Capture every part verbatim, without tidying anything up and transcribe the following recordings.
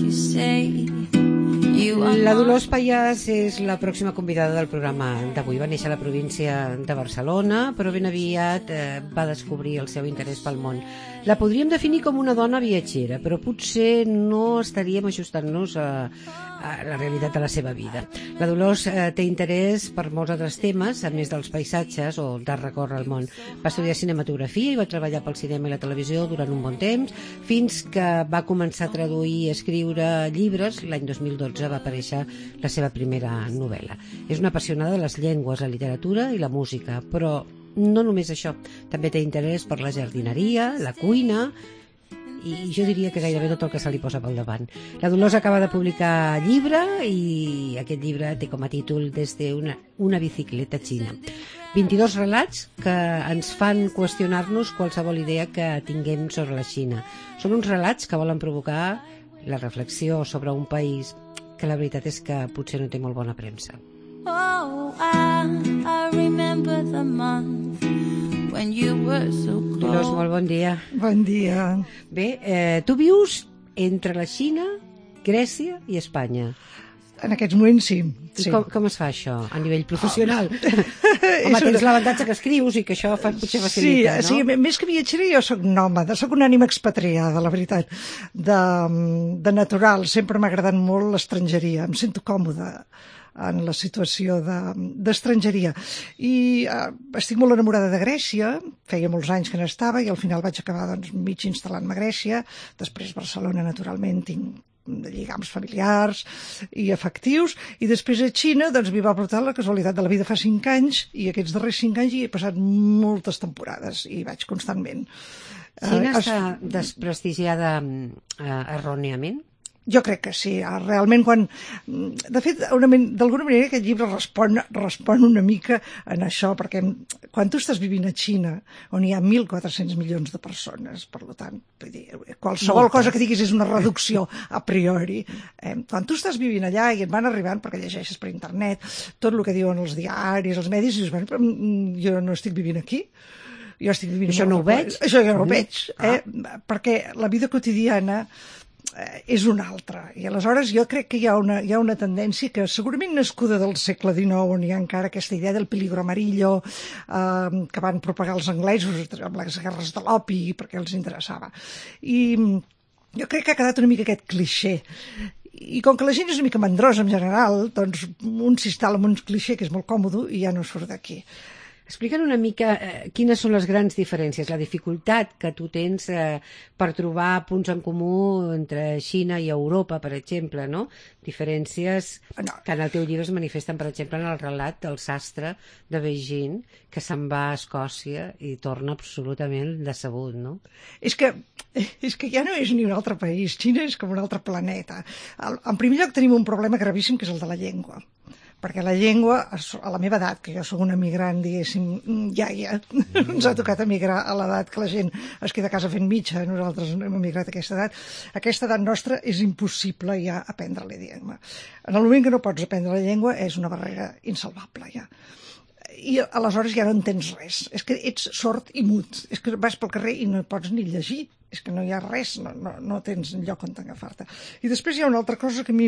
you say. La Dolors Payàs és la pròxima convidada del programa d'avui. Va néixer a la província de Barcelona, però ben aviat eh, va descobrir el seu interès pel món. La podríem definir com una dona viatgera, però potser no estaríem ajustant-nos a, a la realitat de la seva vida. La Dolors eh, té interès per molts altres temes, a més dels paisatges o de recórrer el món. Va estudiar cinematografia i va treballar pel cinema i la televisió durant un bon temps, fins que va començar a traduir i escriure llibres. L'any dos mil dotze va aparèixer la seva primera novel·la. És una apassionada de les llengües, la literatura i la música, però no només això, també té interès per la jardineria, la cuina i jo diria que gairebé tot el que se li posa pel davant. La Dolors acaba de publicar llibre i aquest llibre té com a títol Des de una, una bicicleta xina. vint-i-dos relats que ens fan qüestionar-nos qualsevol idea que tinguem sobre la Xina. Són uns relats que volen provocar la reflexió sobre un país que la veritat és que potser no té molt bona premsa. Oh, I, I remember the month when you were so close. Dolors, molt bon dia. Bon dia. Bé, eh, tu vius entre la Xina, Grècia i Espanya. En aquests moments sí. I sí. com, com es fa això a nivell professional? Home, tens l'avantatge que escrius i que això fa, potser facilita, sí, no? Sí, més que viatgera jo soc nòmada, soc una ànima expatriada, la veritat. De, de natural, sempre m'ha agradat molt l'estrangeria, em sento còmoda en la situació d'estrangeria. I eh, estic molt enamorada de Grècia, feia molts anys que n'estava i al final vaig acabar doncs, mig instal·lant-me a Grècia, després Barcelona, naturalment, tinc lligams familiars i afectius, i després a Xina doncs m'hi va portar la casualitat de la vida fa cinc anys, i aquests darrers cinc anys hi he passat moltes temporades i vaig constantment. Xina eh, està desprestigiada eh, erròniament? Jo crec que sí, realment quan... De fet, d'alguna manera aquest llibre respon, respon una mica en això, perquè quan tu estàs vivint a Xina, on hi ha mil quatre-cents milions de persones, per tant, vull dir, qualsevol Moltes. cosa que diguis és una reducció a priori. Eh, quan tu estàs vivint allà i et van arribant, perquè llegeixes per internet, tot el que diuen els diaris, els medis, i dius, bueno, jo no estic vivint aquí. Jo estic vivint... Això no ho veig? Això jo no ho veig, eh? Ah. Perquè la vida quotidiana és una altra, i aleshores jo crec que hi ha una, hi ha una tendència que segurament nascuda del segle dinou, on hi ha encara aquesta idea del peligro amarillo eh, que van propagar els anglesos amb les guerres de l'opi perquè els interessava, i jo crec que ha quedat una mica aquest clixé, i com que la gent és una mica mandrosa en general, doncs un s'instal·la en un clixé que és molt còmode i ja no surt d'aquí. Explica'ns una mica eh, quines són les grans diferències, la dificultat que tu tens eh, per trobar punts en comú entre Xina i Europa, per exemple, no? Diferències no. que en el teu llibre es manifesten, per exemple, en el relat del sastre de Beijing, que se'n va a Escòcia i torna absolutament decebut, no? És que, és que ja no és ni un altre país, Xina és com un altre planeta. En primer lloc tenim un problema gravíssim, que és el de la llengua. Perquè la llengua, a la meva edat, que jo sóc una migrant, diguéssim, ja, ja, ens ha tocat emigrar a l'edat que la gent es queda a casa fent mitja, nosaltres hem emigrat a aquesta edat, aquesta edat nostra és impossible ja aprendre l'idioma. En el moment que no pots aprendre la llengua és una barrera insalvable, ja. I aleshores ja no entens res, és que ets sord i mut, és que vas pel carrer i no pots ni llegir, és que no hi ha res, no, no, no tens lloc on agafar-te. I després hi ha una altra cosa que a mi,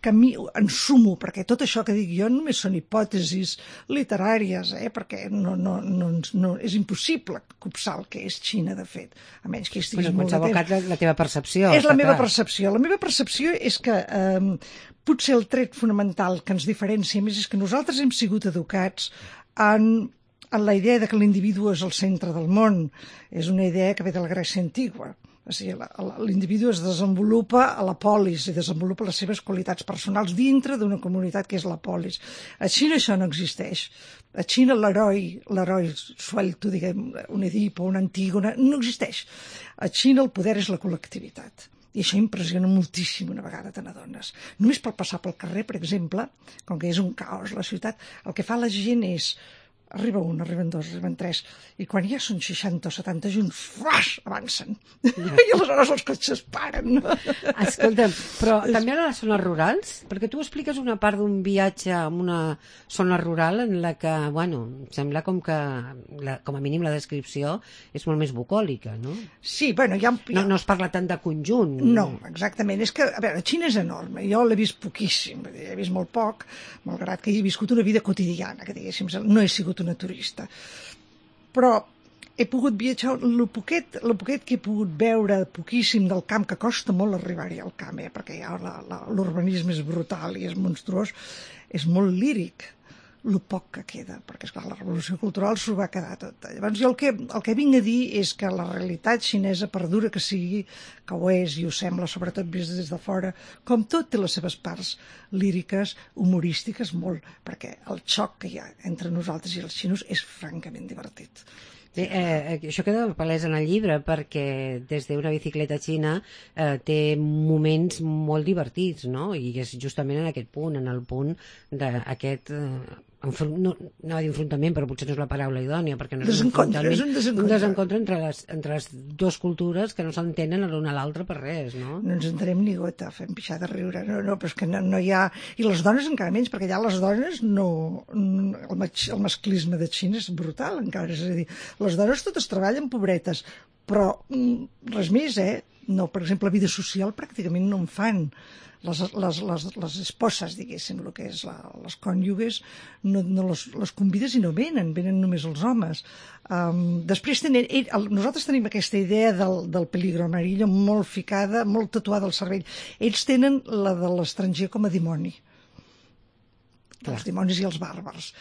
que a mi ensumo, perquè tot això que dic jo només són hipòtesis literàries, eh? Perquè no, no, no, no, és impossible copsar el que és Xina, de fet, a menys que estiguis bueno, molt de temps. La, la teva percepció. És la meva clar. percepció. La meva percepció és que eh, potser el tret fonamental que ens diferencia més és que nosaltres hem sigut educats en, en la idea de que l'individu és el centre del món. És una idea que ve de la Grècia antigua. O sigui, l'individu es desenvolupa a la polis i desenvolupa les seves qualitats personals dintre d'una comunitat que és la polis. A Xina això no existeix. A Xina l'heroi, l'heroi suelto, diguem, un Edipo, un Antígona, no existeix. A Xina el poder és la col·lectivitat. I això impressiona moltíssim una vegada te n'adones. Només per passar pel carrer, per exemple, com que és un caos la ciutat, el que fa la gent és arriba un, arriben dos, arriben tres, i quan ja són seixanta o setanta junts, flash, avancen. I aleshores els cotxes paren. Escolta'm, però també a les zones rurals? Perquè tu expliques una part d'un viatge en una zona rural en la que, bueno, sembla com que, la, com a mínim la descripció és molt més bucòlica, no? Sí, bueno, ja... No, no es parla tant de conjunt. No, exactament. És que, a veure, Xina és enorme. Jo l'he vist poquíssim, he vist molt poc, malgrat que he viscut una vida quotidiana, que diguéssim, no he sigut una turista. Però he pogut viatjar, el poquet, el poquet que he pogut veure poquíssim del camp, que costa molt arribar-hi al camp, eh, perquè ja l'urbanisme és brutal i és monstruós, és molt líric, el poc que queda, perquè esclar, la revolució cultural s'ho va quedar tot. Llavors jo el que, el que vinc a dir és que la realitat xinesa, per dura que sigui, que ho és i ho sembla, sobretot vist des de fora, com tot té les seves parts líriques, humorístiques, molt, perquè el xoc que hi ha entre nosaltres i els xinos és francament divertit. Sí, eh, això queda palès en el llibre perquè des d'una bicicleta xina eh, té moments molt divertits, no? I és justament en aquest punt, en el punt d'aquest... Eh, no, no va dir enfrontament, però potser no és la paraula idònia, perquè no és un enfrontament, és un desencontre, un desencontre entre, les, entre les dues cultures que no s'entenen l'una a l'altra per res, no? No ens entenem ni gota, fem pixar de riure, no, no, però és que no, no hi ha... I les dones encara menys, perquè ja les dones no... El, mas, el masclisme de Xina és brutal, encara, és a dir, les dones totes treballen pobretes, però res més, eh? No, per exemple, vida social pràcticament no en fan. Les, les, les, les esposes, diguéssim, el que és la, les cònyuges, no, no les, les convides i no venen, venen només els homes. Um, després tenen, ell, el, nosaltres tenim aquesta idea del, del peligro amarillo molt ficada, molt tatuada al cervell. Ells tenen la de l'estranger com a dimoni. Clar. Els dimonis i els bàrbars.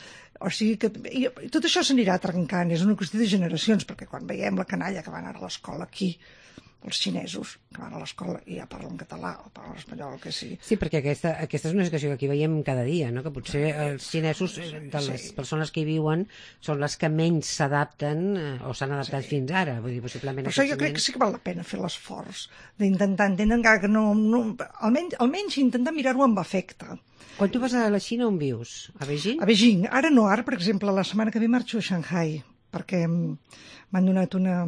O sigui que i, i tot això s'anirà trencant, és una qüestió de generacions, perquè quan veiem la canalla que van anar a l'escola aquí, els xinesos que van a l'escola i ja parlen català o parlen espanyol, que sí. Sí, perquè aquesta, aquesta és una situació que aquí veiem cada dia, no? Que potser els xinesos, de les sí. persones que hi viuen, són les que menys s'adapten eh, o s'han adaptat sí. fins ara. Vull dir, possiblement... Per això jo crec que sí que val la pena fer l'esforç d'intentar entendre, encara que no... no almenys, almenys intentar mirar-ho amb afecte. Quan tu vas a la Xina, on vius? A Beijing? A Beijing. Ara no, ara, per exemple, la setmana que ve marxo a Shanghai, perquè m'han donat una...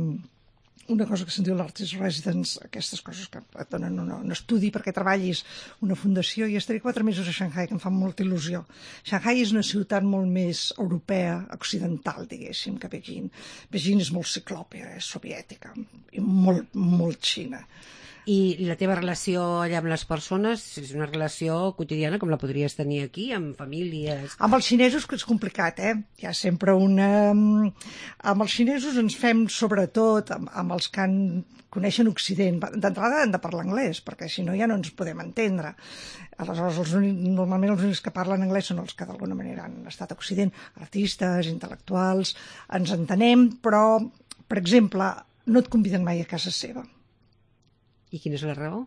una cosa que se'n diu l'Artist Residence, aquestes coses que et donen un, un estudi perquè treballis una fundació, i estaré quatre mesos a Shanghai, que em fa molta il·lusió. Shanghai és una ciutat molt més europea, occidental, diguéssim, que Beijing. Beijing és molt ciclòpia, és soviètica, i molt, molt Xina. I la teva relació allà amb les persones és una relació quotidiana com la podries tenir aquí, amb famílies? Amb els xinesos que és complicat, eh? Hi ha sempre una... Amb els xinesos ens fem, sobretot, amb, amb els que en coneixen Occident. D'entrada han de parlar anglès, perquè si no ja no ens podem entendre. Aleshores, els únics, normalment els únics que parlen anglès són els que d'alguna manera han estat a Occident, artistes, intel·lectuals, ens entenem, però, per exemple, no et conviden mai a casa seva. I quina és la raó?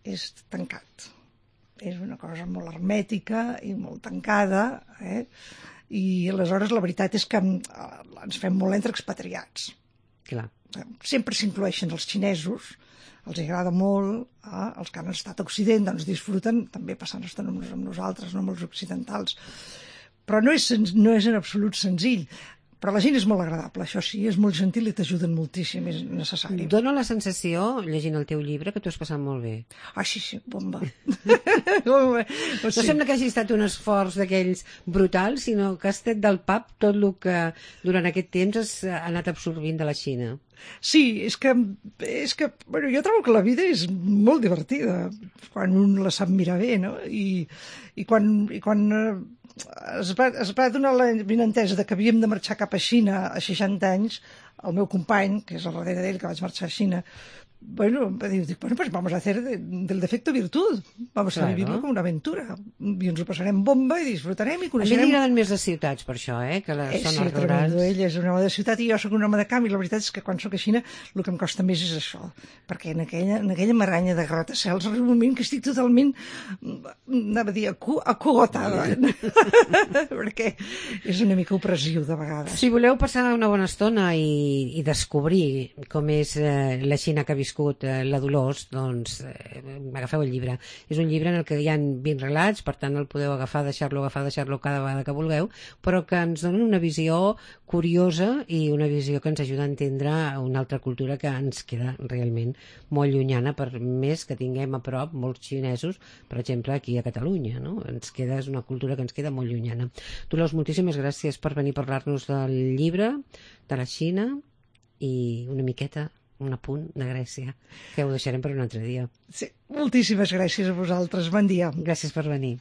És tancat. És una cosa molt hermètica i molt tancada, eh? I aleshores la veritat és que ens fem molt entre expatriats. Clar. Sempre s'incloeixen els xinesos, els agrada molt, eh? Els que han estat a Occident doncs disfruten també passant estona amb nosaltres, no amb els occidentals. Però no és, no és en absolut senzill. Però la gent és molt agradable, això sí, és molt gentil i t'ajuden moltíssim, és necessari. Dóna la sensació, llegint el teu llibre, que t'ho has passat molt bé. Ah, sí, sí, bomba. bomba. No sí. Sembla que hagi estat un esforç d'aquells brutals, sinó que has tret del pap tot el que durant aquest temps has anat absorbint de la Xina. Sí, és que, és que bueno, jo trobo que la vida és molt divertida quan un la sap mirar bé, no? I, i quan... I quan Es va, es va donar la benentesa de que havíem de marxar cap a Xina a seixanta anys, el meu company, que és al darrere d'ell, que vaig marxar a Xina, bueno, diu, bueno, pues vamos a hacer de, del defecto virtud, vamos claro. a vivirlo com una aventura, i ens ho passarem bomba i disfrutarem i coneixerem... A mi m'agraden més les ciutats, per això, eh, que les eh, zones sí, rurals. Sí, ell és un home de ciutat i jo sóc un home de camp, i la veritat és que quan sóc a Xina el que em costa més és això, perquè en aquella, en aquella maranya de gratacels arriba un moment que estic totalment, anava a dir, acu acugotada, perquè és una mica opressiu de vegades. Si voleu passar una bona estona i, i descobrir com és eh, la Xina que ha viscut viscut eh, la Dolors, doncs eh, agafeu el llibre. És un llibre en el que hi ha vint relats, per tant el podeu agafar, deixar-lo, agafar, deixar-lo cada vegada que vulgueu, però que ens donen una visió curiosa i una visió que ens ajuda a entendre una altra cultura que ens queda realment molt llunyana, per més que tinguem a prop molts xinesos, per exemple, aquí a Catalunya, no? Ens queda, és una cultura que ens queda molt llunyana. Dolors, moltíssimes gràcies per venir a parlar-nos del llibre, de la Xina i una miqueta, un apunt de Grècia, que ho deixarem per un altre dia. Sí, moltíssimes gràcies a vosaltres. Bon dia. Gràcies per venir.